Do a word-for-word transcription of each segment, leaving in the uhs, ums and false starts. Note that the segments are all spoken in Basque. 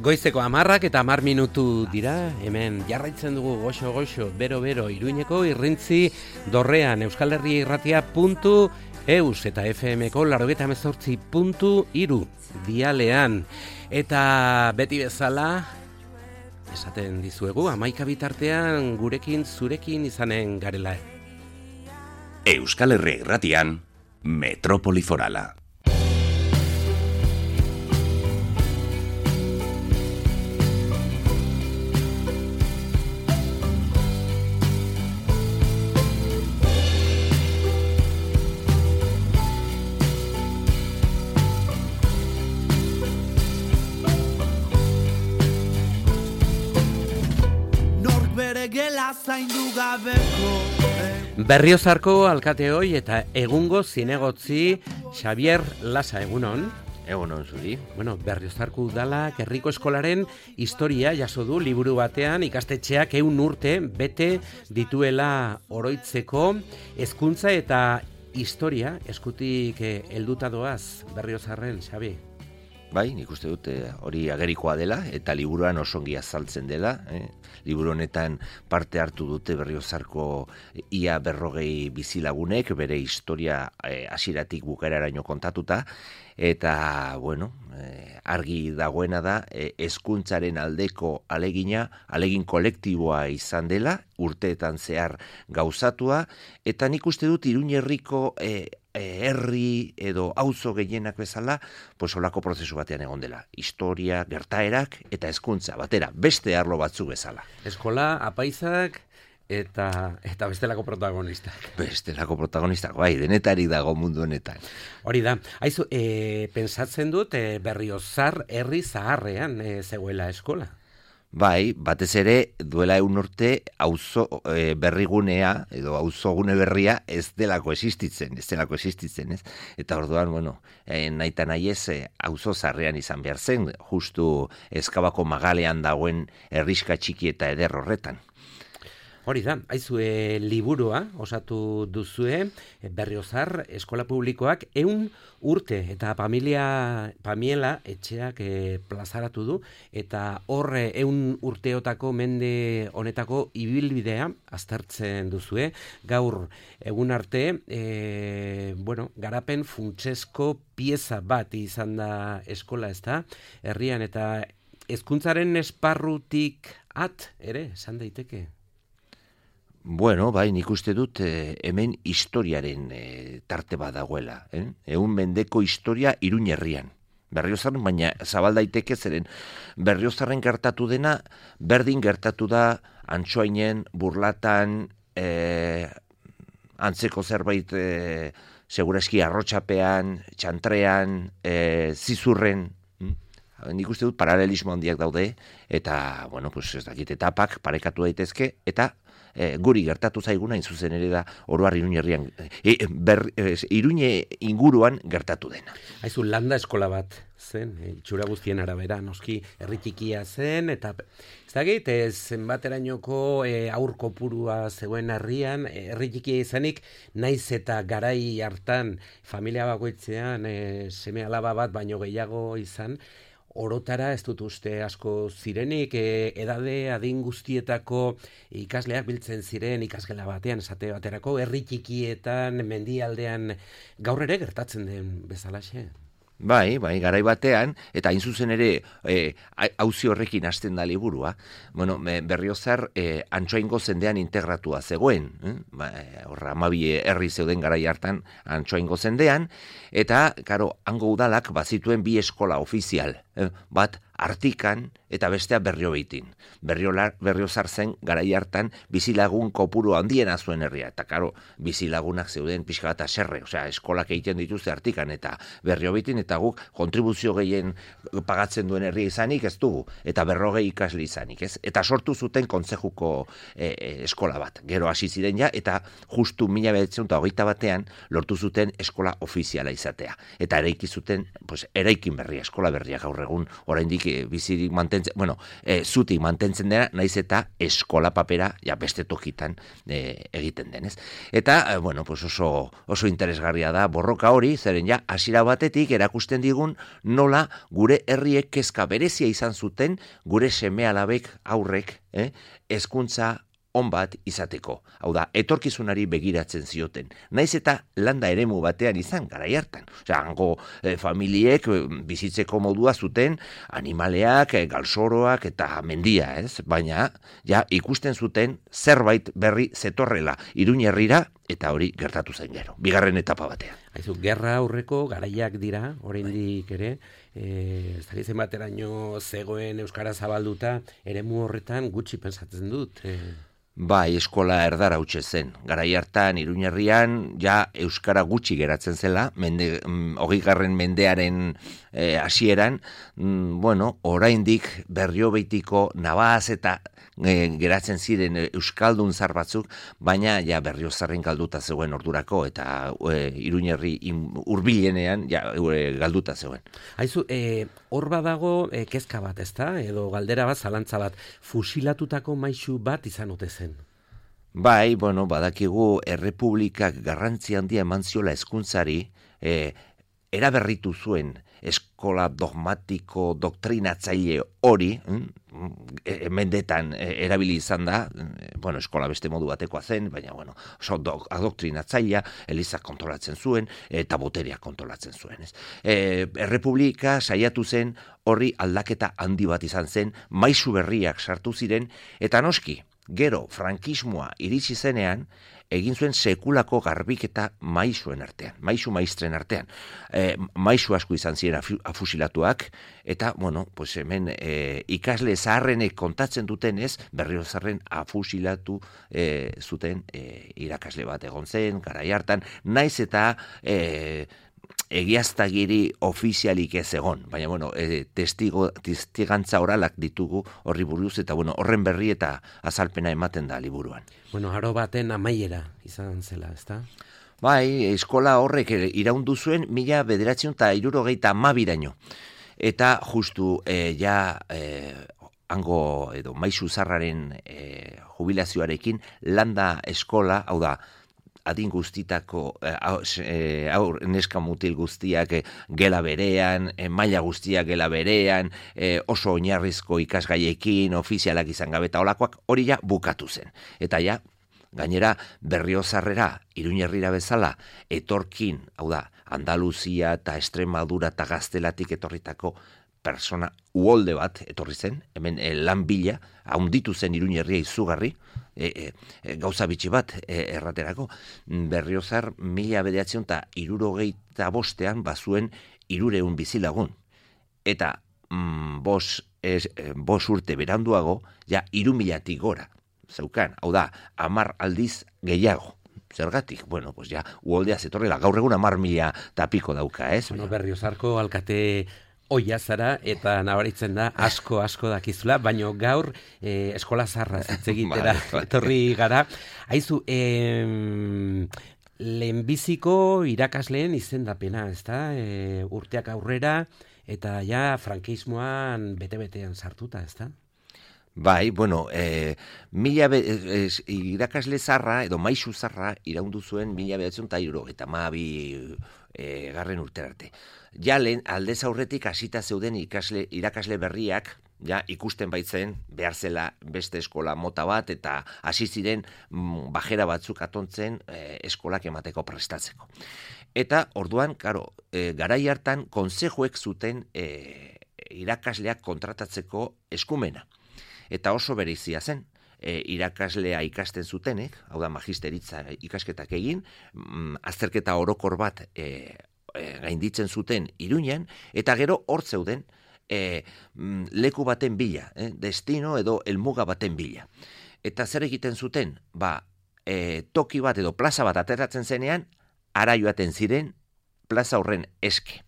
Goizeko hamarrak eta hamar minutu dira, hemen jarraitzen dugu goxo-goxo, bero-bero, Iruñeko irrintzi dorrean, Euskal Herria irratia puntu eus eta F M-ko laurogeita hemezortzi puntu hiru dialean. Eta beti bezala, esaten dizuegu, hamaika bitartean gurekin, zurekin izanen garela. Euskal Herria irratian, Metropoli Forala. Berriozarko alkateoi eta egungo zinegotzi Xavier Lasa, egunon. Egunon zuri. Bueno, Berriozarko udala herriko eskolaren historia jaso du liburu batean, ikastetxeak ehun urte bete dituela oroitzeko hezkuntza eta historia eskutik helduta doaz Berriozarren, Xabi. Bai, nik uste dut hori agerikoa dela eta liburuan oso ongi azaltzen dela. Eh? Liburu honetan parte hartu dute Berriozarko ia berrogei bizilagunek, bere historia eh, hasieratik bukaeraraino kontatuta, eta, bueno, eh, argi dagoena da, eh, hezkuntzaren aldeko alegina, alegin kolektiboa izan dela, urteetan zehar gauzatua, eta nik uste dut Iruñe herriko eh, herri edo auzo gehienak bezala, pues olako prozesu batean egon dela. Historia, gertaerak eta hezkuntza batera, beste arlo batzuk bezala. Eskola, apaizak eta eta bestelako protagonistak. Bestelako protagonistak, bai, denetari dago mundu honetan. Hori da. Aizu, e, pensatzen dut e, Berriozar herri zaharrean e, zegoela eskola. Bai, batez ere duela egun urte auzo e, berrigunea edo auzogune berria ez delako existitzen, ez delako existitzen, ez? Eta orduan, bueno, e, naita nahi ez e, auzo zarrean izan behar zen, justu Ezkabako magalean dagoen herriska txiki eta eder horretan. Hori da, aizue liburua osatu duzue, Berriozar eskola publikoak ehun urte eta familia, Pamiela etxeak e, plazaratu du, eta horre ehun urteotako mende honetako ibilbidea aztertzen duzue. Gaur egun arte, e, bueno, garapen funtsesko pieza bat izan da eskola, ezta, herrian, eta hezkuntzaren esparrutik at ere, esan daiteke. Bueno, bai, nik uste dut eh, hemen historiaren eh, tarte bat dagoela. Eh? Egun mendeko historia Iruñe herrian. Berriozarren, baina zabal daiteke zeren Berriozarren gertatu dena, berdin gertatu da Antsoainen, Burlatan, eh, antzeko zerbait eh, segurazki arrotxapean, txantrean, eh, zizurren. Hm? Nik uste dut paralelismo handiak daude, eta, bueno, pues ez dakit etapak parekatu daitezke, eta e, guri gertatu zaiguna, in zuzen ere da, oroar Iruñerrian, e, ber, e, Iruñe inguruan gertatu dena. Haizu, landa eskola bat zen, itxura guztien arabera, noski herri txikia zen, eta ez dakit, ez zenbaterainoko e, aur kopurua zegoen herrian, herri txikia izanik, naiz eta garai hartan familia bakoitzean e, seme alaba bat baino gehiago izan, orotara ez dut uste asko zirenik, e, edade adin guztietako ikasleak biltzen ziren ikasgela batean, esate baterako, herri txikietan, mendialdean, gaur ere gertatzen den bezalaxe. Bai, bai, garai batean, eta hain zuzen ere e, auzi horrekin hasten da liburua, bueno, Berriozar e, Antsoaingo zendean integratua zegoen, eh? ba, horra amabi herri zeuden garai hartan Antsoaingo zendean, eta, karo, hango udalak bazituen bi eskola ofizial, eh? bat Artikan eta bestea Berriobeitin. Berriozar zen garai hartan bizilagun kopuru handiena zuen herria, eta karo, bizilagunak zeuden pixka bat aserre, osea, eskolak egiten dituzte Artikan eta Berriobeitin, eta guk kontribuzio gehien pagatzen duen herria izanik ez dugu, eta berrogei ikasle izanik, ez? Eta sortu zuten kontzejuko e, e, eskola bat, gero hasi ziren ja, eta justu mila bederatziehun eta hogeita batean lortu zuten eskola ofiziala izatea, eta eraiki zuten, pues, eraikin berria, eskola berria gaur egun, oraindik bizirik mantentzen, bueno, e, zutik mantentzen dena, naiz eta eskola papera ja beste tokitan e, egiten denez. Eta, e, bueno, pues oso, oso interesgarria da borroka hori, zeren ja, hasiera batetik erakusten digun nola gure herriek kezka berezia izan zuten, gure seme alabek aurrek, eh, hezkuntza on bat izateko. Hau da, etorkizunari begiratzen zioten. Naiz eta landa eremu batean izan, garai hartan. Osea, hango e, familiek e, bizitzeko modua zuten animaleak, e, galsoroak eta mendia, ez? Baina, ja, ikusten zuten zerbait berri zetorrela Iruñerrira, eta hori gertatu zen gero, bigarren etapa batean. Haizu, gerra aurreko garaiak dira, oraindik ere, e, ez dakit zenbateraino zegoen euskara zabalduta, eremu horretan gutxi pentsatzen dut. E... Bai, eskola erdara hautsa zen. Garai hartan Iruñerrian ja euskara gutxi geratzen zela, mende, hogeigarren mendearen eh, hasieran, mm, bueno, oraindik Berriobeitiko Navas eta e, geratzen ziren euskaldun zar batzuk, baina ja Berriozarren galduta zegoen ordurako, eta e, Iruñerri hurbilenean ja e, galduta zegoen. Haizu, e, hor badago e, kezka bat, ezta? Edo galdera bat, zalantza bat, fusilatutako maisu bat izan ote zen? Bai, bueno, badakigu errepublikak garrantzi handia eman ziola hezkuntzari, e, eraberritu zuen eskola dogmatiko doktrinatzaile hori, e, mendetan e, erabili izan da, e, bueno, eskola beste modu batekoa zen, baina, bueno, oso do, adoktrinatzailea, Elizak kontrolatzen zuen, eta boterea kontrolatzen zuen, ez. E, errepublika saiatu zen horri aldaketa handi bat izan zen, maisu berriak sartu ziren, eta noski, gero, frankismoa iritsi zenean, egin zuen sekulako garbiketa maisuen artean, maisu maistren artean. E, maisu asko izan ziren afusilatuak, eta, bueno, pues hemen e, ikasle zaharrenek kontatzen dutenez, Berriozarren afusilatu e, zuten e, irakasle bat egon zen, garai hartan, naiz eta... E, egiaztagiri ofizialik ez egon, baina, bueno, e, testigo, testigantza oralak ditugu horri buruz, eta, bueno, horren berri eta azalpena ematen da liburuan. Bueno, aro baten amaiera izan zela, ezta? Bai, eskola horrek iraundu zuen mila bederatziehun eta hirurogeita hamabiraino. Eta justu, e, ja, e, hango, edo, maisu zarraren e, jubilazioarekin, landa eskola, hau da, adin guztitako eh, aur neska mutil guztiak eh, gela berean, eh, maila guztiak gela berean, eh, oso oinarrizko ikasgaiekin, ofizialak izan gabe eta olakoak, hori ja bukatu zen. Eta ja, gainera Berriozarrera, Iruñerrira bezala, etorkin, hau da, Andaluzia eta Extremadura eta Gaztelatik etorritako persona uholde bat etorri zen, hemen e, lan bila, haunditu zen Iruñerria izugarri, e, e, gauza bitxi bat e, erraterako, Berriozar mila bederatziehun eta hirurogeita bostean bazuen hirureun bizilagun. Eta mm, bos, es, bos urte beranduago, ja hiru milatik gora, zeukan, hau da, hamar aldiz gehiago. Zergatik, bueno, pues ja, uholdea zetorrela, gaur egun hamar mila tapiko dauka, ez? Bueno, Berriozarko alkate oia zara eta nabaritzen da asko asko dakizula, baino gaur eh, eskola zarra hitz egitera etorri gara. Aizu, eh, lehenbiziko irakasleen izendapena, ezta? E, urteak aurrera eta ja frankismoan bete-betean sartuta, ezta? Bai, bueno, e, mila be, e, irakasle zarra, edo maisu zarra, iraundu zuen mila behatzen eta iruro, eta maabi e, garren urterarte. Ja, lehen, aldez aurretik hasita zeuden ikasle, irakasle berriak, ja, ikusten baitzen, behar zela beste eskola mota bat, eta hasi ziren mm, bajera batzuk atontzen e, eskolak emateko prestatzeko. Eta, orduan, karo, e, garai hartan, konsejuek zuten e, irakasleak kontratatzeko eskumena. Eta oso berezia zen, e, irakaslea ikasten zutenek, hau da magisteritza ikasketak egin, mm, azterketa orokor bat e, e, gainditzen zuten Iruñan, eta gero hor zeuden e, mm, leku baten bila, e, destino edo helmuga baten bila. Eta zer egiten zuten? Ba, e, toki bat edo plaza bat ateratzen zenean, ara joaten ziren plaza horren eske.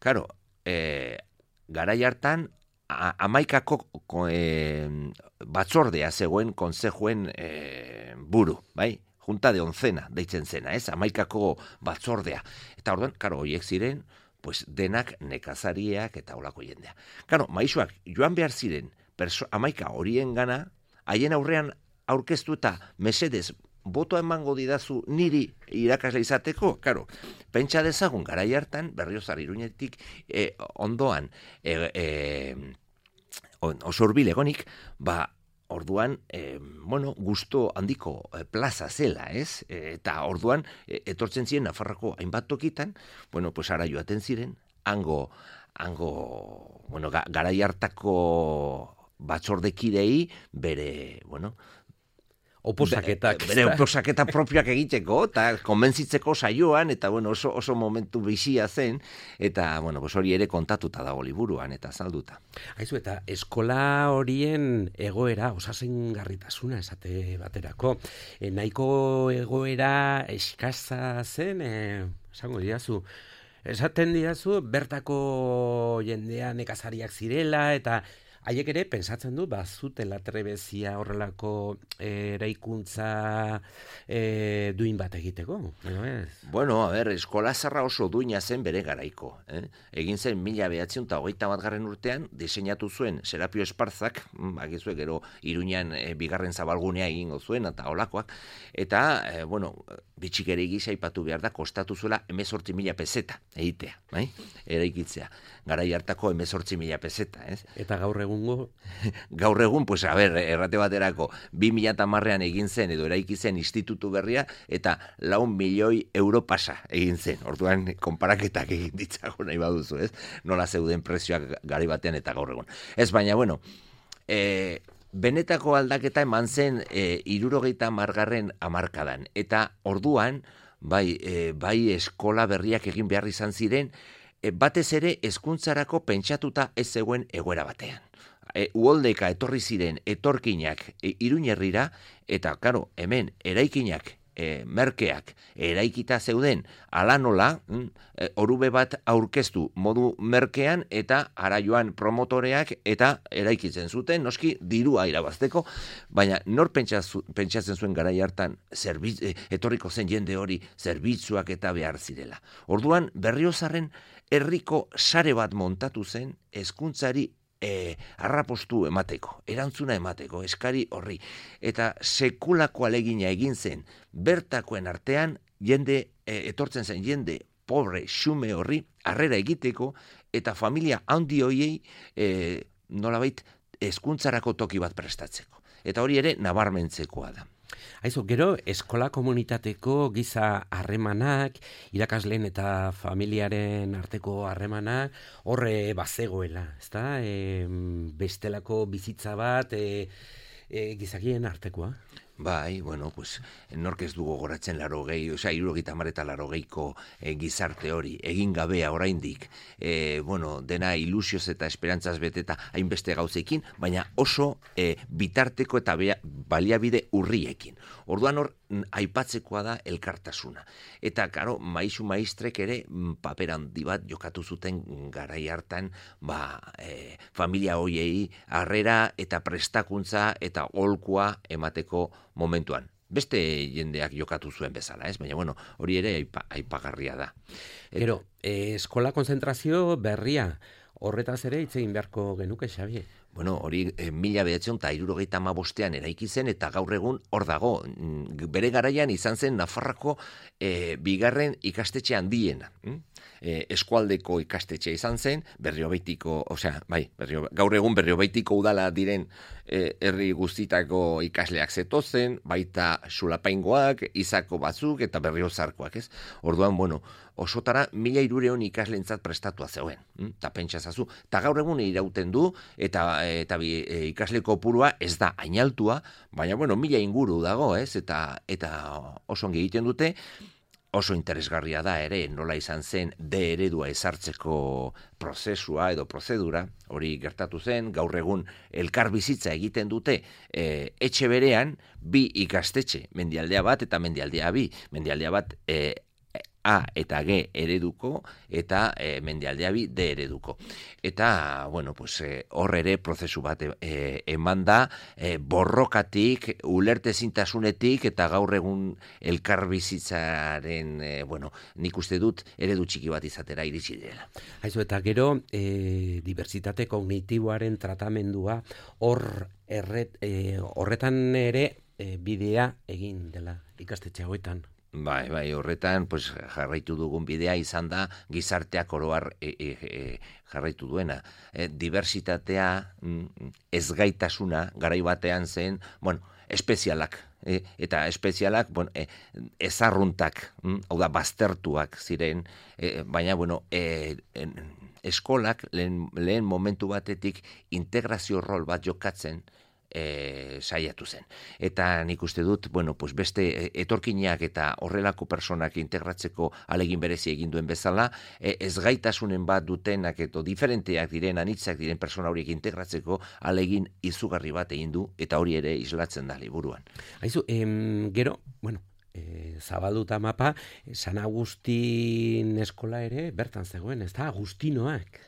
Karo, e, garai hartan, amaikako e, batzordea zegoen konsejuen e, buru, bai? Junta de oncena deitzen zena, ez? Amaikako batzordea. Eta orduan, karo, horiek ziren, pues denak nekazariak eta olako jendea. Karo, maisuak joan behar ziren perso, amaika horien gana, haien aurrean aurkeztu eta mesedez botoa emango didazu niri irakasle izateko, karo, pentsa dezagun garai hartan, Berriozar Iruñetik eh, ondoan eh, eh, oso hurbil egonik, ba, orduan, eh, bueno, gusto handiko eh, plaza zela, ez? E, eta orduan, eh, etortzen ziren Nafarroko hainbat tokitan, bueno, pues ara joaten ziren, hango, hango, bueno, ga, garai hartako batzordekidei bere, bueno, Oposaketak. Bere oposaketa propioak egiteko, eta konbentzitzeko saioan, eta bueno, oso, oso momentu bizia zen, eta bueno, pues hori ere kontatuta dago liburuan, eta salduta. Aizu, eta eskola horien egoera, osasungarritasuna esate baterako, e, nahiko egoera eskasa zen, e, esango didazu, esaten didazu, bertako jendea nekazariak zirela, eta haiek ere, pensatzen du, bazutela trebezia horrelako e, eraikuntza e, duin bat egiteko. No, ez? Bueno, a ber, eskola zarra oso duina zen bere garaiko. Eh? Egin zen mila behatzen eta hogeita bat garren urtean, diseinatu zuen Serapio Esparzak, bakizue gero Iruñan e, bigarren zabalgunea egingo zuen, eta olakoak, eta, e, bueno, bitxikeri gisa aipatu behar da, kostatu zuela hemezortzi mila peseta egitea, bai? Eraikitzea. Garai hartako hemezortzi mila peseta, ez? Eta gaur egungo? Gaur egun, pues, a ber, errate baterako, bi mila hamarrean egin zen, edo eraiki zen institutu berria, eta lau milioi euro pasa egin zen. Orduan, konparaketak egin ditzago nahi baduzu, ez? Nola zeuden prezioak gari batean eta gaur egun. Ez, baina, bueno, e, benetako aldaketa eman zen e, irurogeita margarren amarkadan. Eta orduan, bai, e, bai eskola berriak egin behar izan ziren, e, batez ere hezkuntzarako pentsatuta ez zegoen egoera batean. E, uholdeka etorri ziren etorkinak e, Iruñerrira, eta, karo, hemen eraikinak, e, merkeak, eraikita zeuden, ala nola, mm, e, orube bat aurkeztu modu merkean, eta ara joan promotoreak, eta eraikitzen zuten, noski, dirua irabazteko, baina nor pentsaz, pentsatzen zuen garai hartan, zerbitz, e, etorriko zen jende hori, zerbitzuak eta behar zirela. Orduan, Berriozarren herriko sare bat montatu zen, hezkuntzari E, arrapostu emateko, erantzuna emateko, eskari horri. Eta sekulako alegina egin zen, bertakoen artean, jende, e, etortzen zen jende, pobre, xume horri, harrera egiteko, eta familia handi hoiei, e, nolabait, hezkuntzarako toki bat prestatzeko. Eta hori ere, nabarmentzekoa da. Aizu, gero, eskola komunitateko giza harremanak, irakasleen eta familiaren arteko harremanak, horre bazegoela, ezta? E, bestelako bizitza bat e, e, gizakien artekoa. Bai, bueno, pues, nork ez du gogoratzen laro gehi, oza, irurogita hamar eta laro gehiko e, gizarte hori, egin gabea oraindik, e, bueno, dena ilusioz eta esperantzaz beteta hainbeste gauzekin, baina oso e, bitarteko eta bea, baliabide urriekin. Orduan hor, aipatzekoa da elkartasuna. Eta, karo, maisu maistrek ere paper handi bat jokatu zuten garai hartan, ba, e, familia hoiei harrera eta prestakuntza eta holkua emateko momentuan. Beste jendeak jokatu zuen bezala, ez? Baina, bueno, hori ere aipa, aipagarria da. Et... Gero, eh, eskola konzentrazio berria, horretaz ere hitz egin beharko genuke, Xabi. Bueno, hori e, mila behatzen eta hirurogeita hamabostean eraiki zen eta gaur egun hor dago. Bere garaian izan zen Nafarroko e, bigarren ikastetxe handiena. E, eskualdeko ikastetxe izan zen, Berriobeitiko, osea, bai, berrio, gaur egun Berriobeitiko udala diren e, herri guztitako ikasleak zetozen, baita Sulapaingoak, Izako batzuk eta Berriozarkoak, ez? Orduan, bueno, osotara mila hirureun ikaslentzat prestatua zegoen, eta pentsazazu, eta gaur egun irauten du, eta eta bi, e, ikasle kopurua ez da ainaltua, baina bueno, mila inguru dago, ez? Eta eta oso ongi egiten dute, oso interesgarria da ere, nola izan zen D eredua ezartzeko prozesua edo prozedura, hori gertatu zen, gaur egun elkar bizitza egiten dute e, etxe berean, bi ikastetxe, mendialdea bat eta mendialdea bi, mendialdea bat e, A eta G ereduko eta e, mendialdea bi D ereduko. Eta, bueno, pues hor e, ere prozesu bat e, eman da e, borrokatik, ulertezintasunetik eta gaur egun elkarbizitzaren, e, bueno, nik uste dut eredu txiki bat izatera iritsi dela. Haizu, eta gero, e, diversitate kognitiboaren tratamendua hor erret, e, horretan ere e, bidea egin dela ikastetxe hauetan. Bai, bai, horretan pues, jarraitu dugun bidea izan da gizarteak oroar e, e, e, jarraitu duena. E, diversitatea, ezgaitasuna, garai batean zen, bueno, espezialak. E, eta espezialak, bueno, e, ezarruntak, hau da, baztertuak ziren, e, baina, bueno, e, en, eskolak lehen, lehen momentu batetik integrazio rol bat jokatzen, E, saiatu zen. Eta nik uste dut, bueno, pues beste etorkinak eta horrelako personak integratzeko alegin berezi egin duen bezala, e, ezgaitasunen bat dutenak eto diferenteak diren, anitzak diren persona horiek integratzeko alegin izugarri bat egin du, eta hori ere islatzen da liburuan. Haizu, em, gero, bueno, e, zabalduta mapa, San Agustin eskola ere bertan zegoen, ez da, Agustinoak.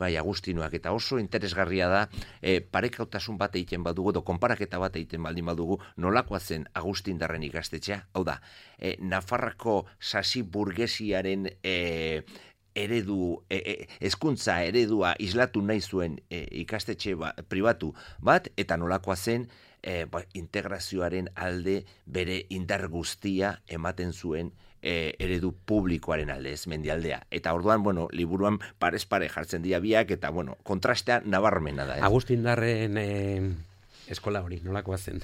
Bai, Agustinoak, eta oso interesgarria da, e, parekautasun bat egiten badugu, edo konparaketa bat egiten baldin badugu, nolakoa zen Agustindarren ikastetxea, hau da, e, Nafarrako sasi burgesiaren e, eredu, e, e, hezkuntza eredua islatu nahi zuen e, ikastetxe ba, pribatu bat, eta nolakoa zen e, ba, integrazioaren alde bere indar guztia ematen zuen E, eredu publikoaren alde, ez mendialdea. Eta orduan, bueno, liburuan parez pare jartzen dira biak, eta, bueno, kontrastea nabarmena da. Eh? Agustindarren e, eskola hori, nolakoa zen?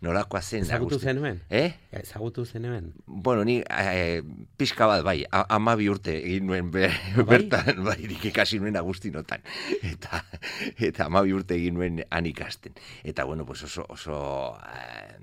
Nolakoa zen. Ezagutu zenuen? Eh? Ezagutu zenuen? Bueno, ni eh, pixka bat, bai, amabi urte egin nuen be, bai? bertan, bai, nik ikasi nuen Agustinotan. Eta, eta amabi urte egin nuen han ikasten. Eta, bueno, pues oso, oso eh,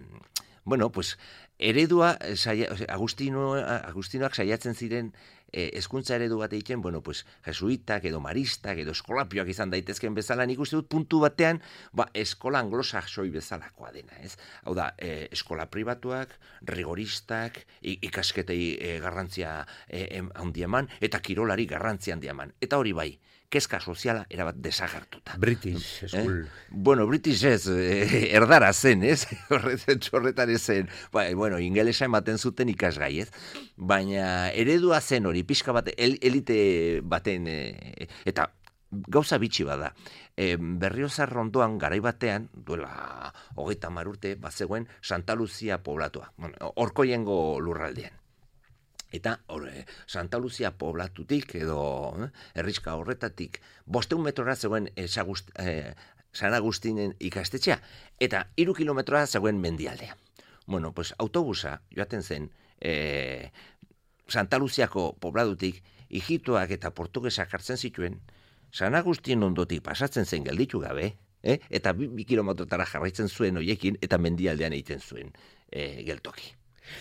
bueno, pues, eredua, saia, Agustino, Agustinoak saiatzen ziren eh, hezkuntza eredu bat egiten, bueno, pues, jesuitak edo maristak edo eskolapioak izan daitezken bezala, nik uste dut puntu batean, ba, eskola anglosaxoi bezalakoa dena, ez? Hau da, eh, eskola pribatuak, rigoristak, ikasketei eh, garrantzia eh, handi eman, eta kirolari garrantzia handi eman. Eta hori bai, kezka soziala erabat desagertuta. British School. Eh? Bueno, British ez, eh, erdara zen, ez? Horretan ez zen, ba, bueno, ingelesa ematen zuten ikasgai, ez? Baina eredua zen hori, pixka bat, el, elite baten, eh, eta gauza bitxi bada. E, Berriozar rondoan garai batean, duela hogeita hamar urte, bazegoen Santa Lucia poblatua, bueno, Orkoiengo lurraldean. Eta or, Santa Lucia poblatutik edo eh, herriska horretatik bosteun metrora zegoen eh, Sagust, eh, San Agustinen ikastetxea, eta hiru kilometrora zegoen mendialdea. Bueno, pues autobusa joaten zen eh, Santa Luciako pobladutik ijitoak eta portugesak hartzen zituen, San Agustin ondotik pasatzen zen gelditu gabe, eh, eta bi, bi kilometrotara jarraitzen zuen hoiekin eta mendialdean egiten zuen eh, geltoki.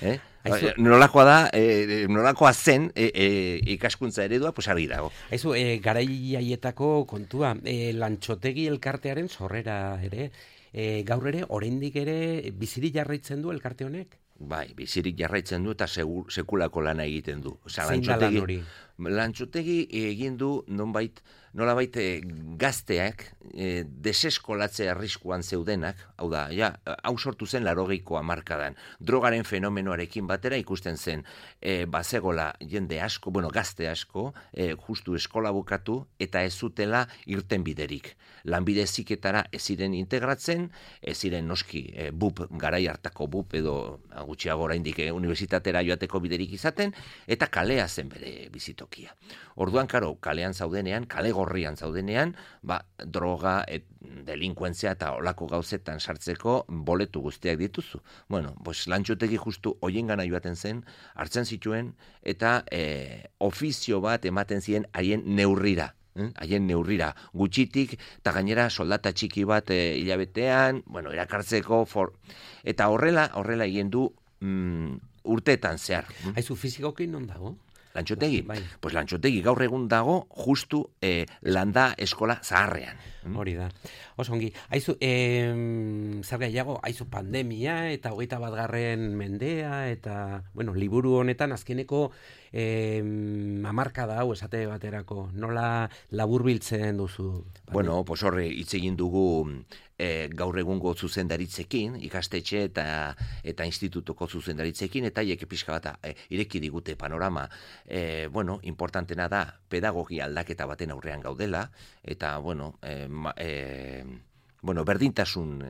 Eh? Aizu, nolakoa da, eh, nolakoa zen eh, eh, ikaskuntza eredua, pues argi dago. Aizu, eh, garai haietako kontua, eh, lantxotegi elkartearen sorrera ere, eh, gaur ere, oraindik ere, biziri jarraitzen du elkarte honek? Bai, bizirik jarraitzen du eta segur, sekulako lana egiten du. Osea, Zein da lan hori? Lantxotegi egin du nonbait, nolabait e, gazteak e, deseskolatze arriskuan zeudenak, hau da, ja, hau sortu zen laurogeiko hamarkadan. Drogaren fenomenoarekin batera ikusten zen e, bazegola jende asko, bueno, gazte asko, e, justu eskola bukatu eta ez zutela irten biderik. Lanbide heziketara ez ziren integratzen, ez ziren noski e, bup, garai hartako bup edo gutxiago oraindik e, unibertsitatera joateko biderik izaten, eta kalea zen bere bizitokia. Orduan, karo, kalean zaudenean, kale gorrian zaudenean, ba, droga, et, delinkuentzia eta olako gauzetan sartzeko boletu guztiak dituzu. Bueno, pues, Lantxotegi justu hoien gana joaten zen, hartzen zituen, eta e, ofizio bat ematen ziren haien neurrira. haien neurrira gutxitik, eta gainera soldata txiki bat e, hilabetean, bueno, erakartzeko, for... eta horrela, horrela egin du mm, urteetan zehar. Haizu, fizikoki non dago? Lantxotegi? Bai. Pues Lantxotegi gaur egun dago justu eh, landa eskola zaharrean. Hori da. Oso ongi. Haizu, em, zer gehiago, haizu pandemia eta hogeita bat garren mendea eta, bueno, liburu honetan azkeneko em, hamarkada hau esate baterako. Nola laburbiltzen duzu? Bueno, pues horre hitz egin dugu e, gaur egungo zuzendaritzekin, ikastetxe eta eta institutuko zuzendaritzekin, eta hiek pixka bat e, ireki digute panorama. E, bueno, importantena da pedagogia aldaketa baten aurrean gaudela, eta, bueno, e, ma, e, bueno, berdintasun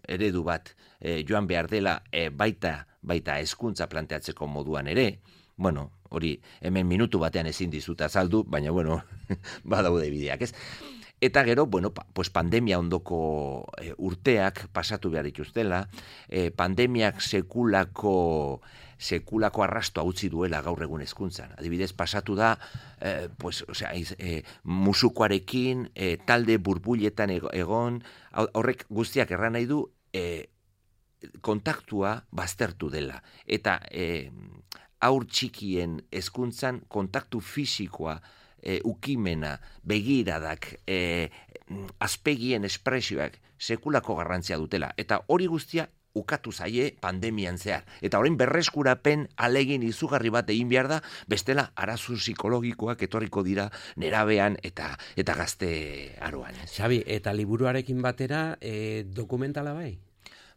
eredu bat e, joan behar dela e, baita, baita hezkuntza planteatzeko moduan ere. Bueno, hori hemen minutu batean ezin dizut azaldu, baina, bueno, badaude bideak, ez? Eta gero, bueno, pa, pues pandemia ondoko e, urteak pasatu behar dituztela, e, pandemiak sekulako sekulako arrastoa utzi duela gaur egun hezkuntzan. Adibidez, pasatu da, e, pues, osea, e, musukoarekin, e, talde burbuletan egon, horrek guztiak erran nahi du, e, kontaktua baztertu dela. Eta e, haur txikien hezkuntzan kontaktu fisikoa, E, ukimena, begiradak, e, azpegien espresioak sekulako garrantzia dutela. Eta hori guztia ukatu zaie pandemian zehar. Eta orain berreskurapen alegin izugarri bat egin behar da, bestela arazu psikologikoak etorriko dira nerabean eta eta gazte aroan. Xabi, eta liburuarekin batera e, dokumentala bai?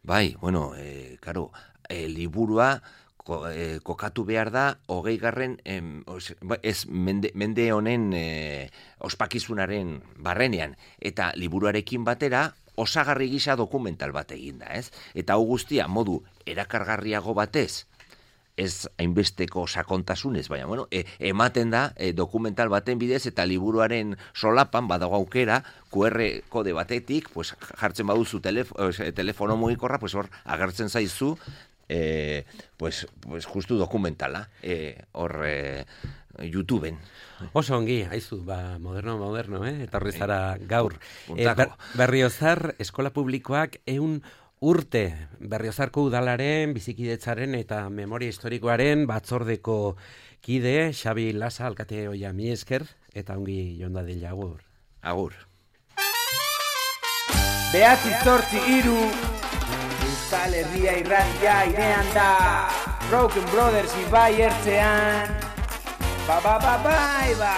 Bai, bueno, e, karo, e, liburua Ko, eh, kokatu behar da, hogei garren, em, os, ez mende, mende honen eh, ospakizunaren barrenean, eta liburuarekin batera, osagarri gisa dokumental bat eginda, ez? Eta hau guztia, modu erakargarriago batez, ez hainbesteko sakontasunez, baina, bueno, e, ematen da e, dokumental baten bidez, eta liburuaren solapan, badago aukera, Q R kode batetik, pues, jartzen baduzu telef, telefono mugikorra, pues, hor agertzen zaizu, Eh, pues, pues justu dokumentala hor eh, eh, YouTubeen. Oso ongi, haizu, ba, moderno, moderno, eh? Eta horri zara gaur. Eh, ber, Berriozar eskola publikoak eun urte Berriozarko udalaren, bizikidetzaren eta memoria historikoaren batzordeko kide, Xabi Lasa, alkate hoia mi esker, eta ongi jonda dila agur. Agur. Behatzi zortzi iru Euskal Herria irratia irean da Broken Brothers ibai ertzean Ba ba ba bai ba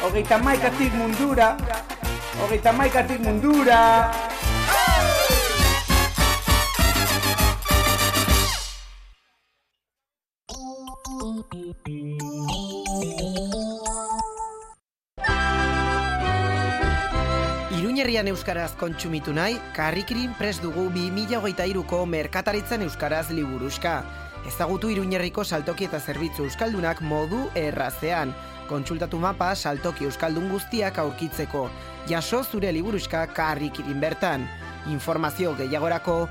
Hogeita maikatik mundura Hogeita maikatik mundura Iruñerrian euskaraz kontsumitu nahi, Karrikirin prest dugu bi mila hogeita hiruko merkataritzan euskaraz liburuxka. Ezagutu Iruñerriko saltoki eta zerbitzu euskaldunak modu errazean. Kontsultatu mapa saltoki euskaldun guztiak aurkitzeko. Jaso zure liburuxka Karrikirin bertan. Informazio gehiagorako